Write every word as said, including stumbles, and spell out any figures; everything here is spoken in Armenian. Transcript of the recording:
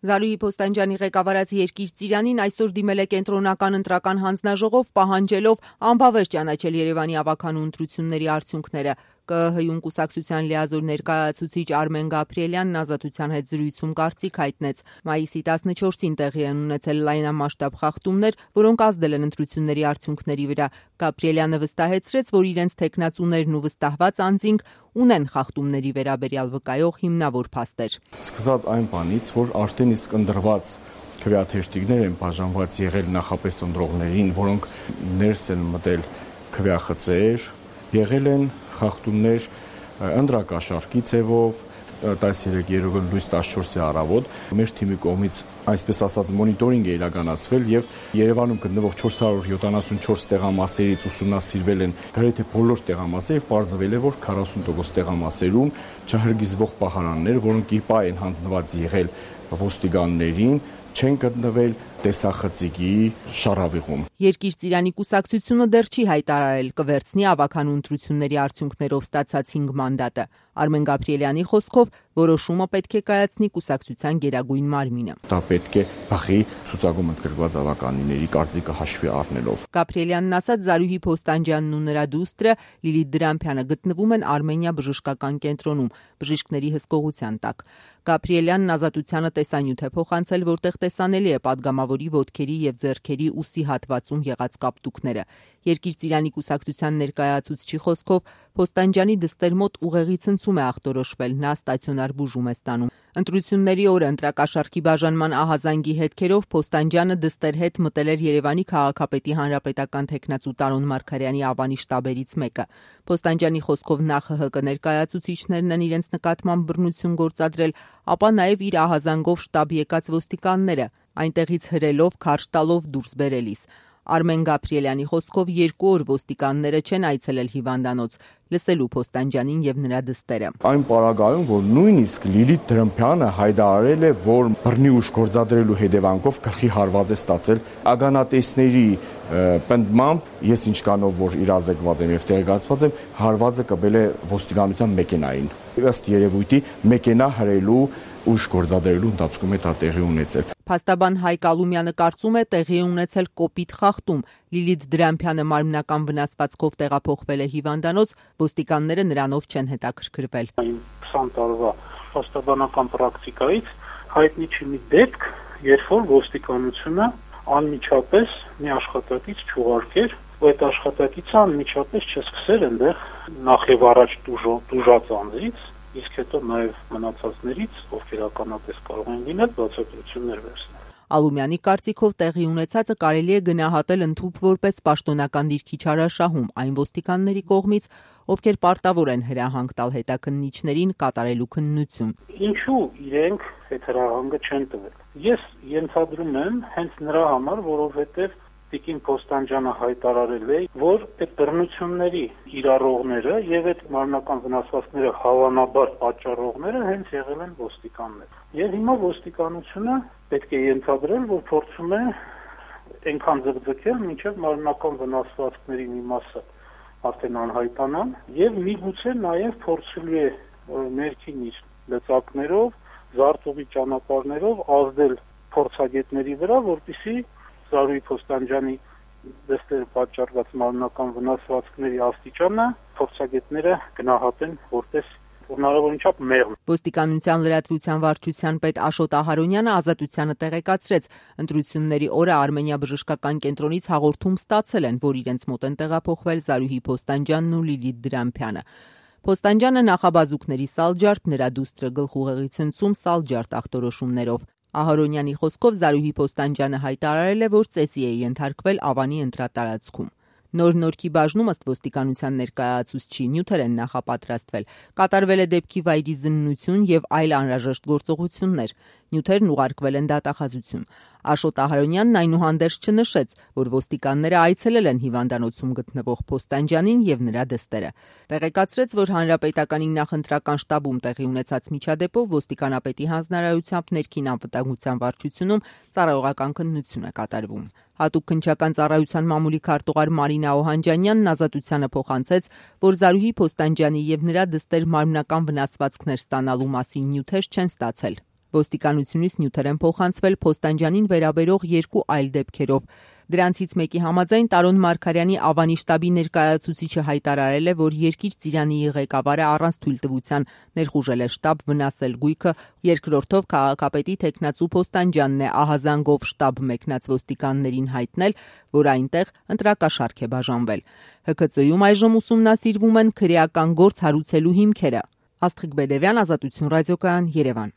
Զարուհի Փոստանջյանի ղեկավարած Երկիր Ծիրանին այսօր դիմել է կենտրոնական ընտրական հանձնաժողով, պահանջելով անբավեր ճանաչել Երևանի ավագանու ընտրությունների արդյունքները։ Կ Ը Հ-ում կուսակցության լիազոր ներկայացուցիչ Արմեն Գաբրիելյանն Ազատության հետ զրույցում կարծիք հայտնեց։ Մայիսի տասնչորսին տեղի են ունեցել լայնամասշտաբ խախտումներ, որոնք ազդել են ընտրությունների արդյունքների վրա։ Գաբրիելյանը վստահեցրեց, որ իրենց թեկնածուներն ու վստահված անձինք ունեն խախտումների վերաբերյալ վկայող հիմնավոր փաստեր։ Սկսած այն բանից, որ արդեն իսկ ընտրված քվեաթերթիկներ են բաժանված եղել նախապես ընտրողներին, որոնք ներս են մտել քվեախցեր, եղել են խախտումներ ընտրակաշառքի ձևով, տասներեք երեկոյան լույս տասնչորսի առավոտ մեր թիմի կողմից այսպես ասած մոնիտորինգ է իրականացվել եւ Երևանում գտնվող չորս հարյուր յոթանասունչորս տեղամասերից ուսումնասիրվել են գրեթե բոլոր տեղամասերը եւ պարզվել է, որ քառասուն տոկոս տեղամասերում չհրգիզվող պահարաններ, որոնք իպա են հանձնված եղել ոստիկաններին, չեն գտնվել տեսախցիկի շարավիղում։ Երկիր Ծիրանի կուսակցությունը դեռ չի հայտարարել կվերցնի ավագանու ընտրությունների արդյունքներով ստացած հինգ մանդատը։ Արմեն Գաբրիելյանի խոսքով որոշումը պետք է կայացնի կուսակցության գերագույն մարմինը։ Դա պետք է բախի ցուցակում ընդգրկված ավականիների կարծիքը հաշվի առնելով։ Գաբրիելյանն ասաց, Զարուհի Փոստանջյանն ու նրա դուստրը Լիլիթ Դրամփյանը գտնվում են Արմենիա բժշկական կենտրոնում բժիշկների հսկողության տակ։ Գաբրիելյանն Ազատությանը տեսանյութ է փոխանցել, որտեղ տեսանելի է падգամավորի ոտքերի եւ ձեռքերի ուսի հատվածում եղած կապտուկները։ Երկիր Ծիրանի կուսակցության ներկայացուցչի խոսքով Փոստանջյանի դստեր մոտ ուղեղի ցնցում է ախտորոշվել, նա ստացիոնար բուժում է ստանում։ Ընտրությունների օրը ընտրակաշառքի բաժանման ահազանգի հետքերով Փոստանջյանը դստեր հետ մտել էր Երևանի քաղաքապետի հանրապետական թեկնածու Տարոն Մարգարյանի ավանի շտաբերից մեկը։ Փոստանջյանի խոսքով նախ ՀՀԿ ներկայացուցիչներն են իրենց նկատմամբ բռնություն գործադրել, ապա նաև իր ահազանգով շտաբ եկած ոստիկանները, այնտեղից հրելով, քարշ տալով դուրս բերելիս։ Արմեն Գաբրիելյանի խոսքով երկու օր ոստիկանները չեն այցելել հիվանդանոց, լսելու Փոստանջյանին եւ նրա դստերը։ Այն պարագայում, որ նույնիսկ Լիլիթ Դրամփյանը հայտարարել է, որ բռնի ուժ գործադրելու հետևանքով գլխի հարված է ստացել ագանատեսների պնդմամբ, ես ինչքանով որ իրազեկված եմ եւ տեղեկացված եմ, հարվածը կբել է ոստիկանության մեքենային։ Ըստ երևույթի մեքենա հրելու ուժ գործադրելու ընթացքում է դա տեղի ունեցել։ Փաստաբան Հայկ Ալումյանը կարծում է տեղի ունեցել կոպիտ խախտում։ Լիլիթ Դրամփյանը մարմնական վնասվածքով տեղափոխվել է հիվանդանոց, ոստիկանները նրանով չեն հետաքրքրվել։ քսան տարվա փաստաբանական պրակտիկայից հայտնի չի մի դեպք, երբ որ ոստիկանությունը անմիջապես մի աշխատակից չուղարկեր, ու այդ աշխատակիցը անմիջապես չսկսեր այնտեղ նախ եւ առաջ դուժած անձից, իսկ հետո նաև մնացածներից, ովքեր ականատես կարող են լինել, բացատրություններ վերցնել։ Ալումյանի կարծիքով տեղի ունեցածը կարելի է գնահատել ընդհուպ որպես պաշտոնական դիրքի չարաշահում այն ոստիկանների կողմից, ովքեր պարտավոր են հրահանգ տալ հետաքննիչներին կատարելու քննություն։ Ինչու իրենք այդ հրահանգը չեն տվել։ Ես ենթադրում եմ հենց նրա համար, որովհետև Տիկին Փոստանջյանը հայտարարել է, որ այդ բռնությունների իրառողները եւ այդ մարմնական վնասվածքները հավանաբար պատճառողները հենց եղել են ոստիկաններ։ Եվ հիմա ոստիկանությունը պետք է ենթադրել, որ փորձում է այնքան ձգձգել, մինչեւ մարմնական վնասվածքների մի մասը արդեն անհայտանան եւ միգուցե նաեւ փորձելու է ներքին իր լծակներով, զարտուղի ճանապարհներով ազդել փորձագետների վրա, որպեսզի Զարուհի Փոստանջյանի դստերը պատճառված մարմնական վնասվածքների աստիճանը փորձագետները գնահատեն որպես հնարավորին չափ մեղմ։ Ոստիկանության լրատվության վարչության պետ Աշոտ Ահարոնյանը Ազատությանը տեղեկացրեց, ընտրությունների օրը Արմենիա բժշկական կենտրոնից հաղորդում ստացել են, որ իրենց մոտ են տեղափոխվել Զարուհի Փոստանջյանն ու Լիլիթ Դրամփյանը։ Փոստանջյանը նախաբազուկների սալջարդ, նրա դուստրը գլխուղեղի ցնցում սալջարդ ախտորոշումներով։ Ահարոնյանի խոսքով Զարուհի Փոստանջյանը հայտարարել է, որ ծեծի է ենթարկվել Ավանի ընտրատարածքում։ Նոր Նորքի բաժնում ըստ ոստիկանության ներկայացուցչի նյութեր են նախապատրաստվել, կատարվել է դեպքի վայրի զննություն եւ այլ անհրաժեշտ գործողություններ, նյութերն ուղարկվել են դատախազություն։ Աշոտ Ահարոնյանն այնուհանդերձ չնշեց, որ ոստիկանները այցելել են հիվանդանոցում գտնվող Փոստանջյանին եւ նրա դստերը։ Տեղեկացրեց, որ հանրապետականի նախընտրական շտաբում տեղի ունեցած միջադեպով ոստիկանապետի հանձնարարությամբ ներքին անվտանգության վարչությունում ծառայողական քննություն է կատարվում։ Հատուկ քննչական ծառայության մամուլի քարտուղար Մարինա Օհանջանյանն Ազատությանը փոխանցեց, որ Զարուհի Փոստանջյանի եւ նրա դստեր մարմնական վնասվածքներ ստանալու մասին նյութեր չեն ստացել։ Ոստիկանությունից նյութեր են փոխանցվել Փոստանջանին վերաբերող երկու այլ դեպքերով։ Դրանցից մեկի համաձայն Տարոն Մարգարյանի Ավանի շտաբի ներկայացուցիչը հայտարարել է, որ Երկիր Ծիրանիի ղեկավարը առանց թույլտվության ներխուժել է շտաբ վնասել գույքը, երկրորդով քաղաքապետի թեկնածու Փոստանջանն է ահազանգով շտաբ մեկնած ոստիկաններին հայտնել, որ այնտեղ ընտրակաշառք է բաժանվել։ Հ K Ծ-ում այժմ ուսումնասիրվում են քրեական գործ հարուցելու հիմքերը։ Աստղիկ Բեդևյան, Ազատություն ռադիոկայան, Երևան։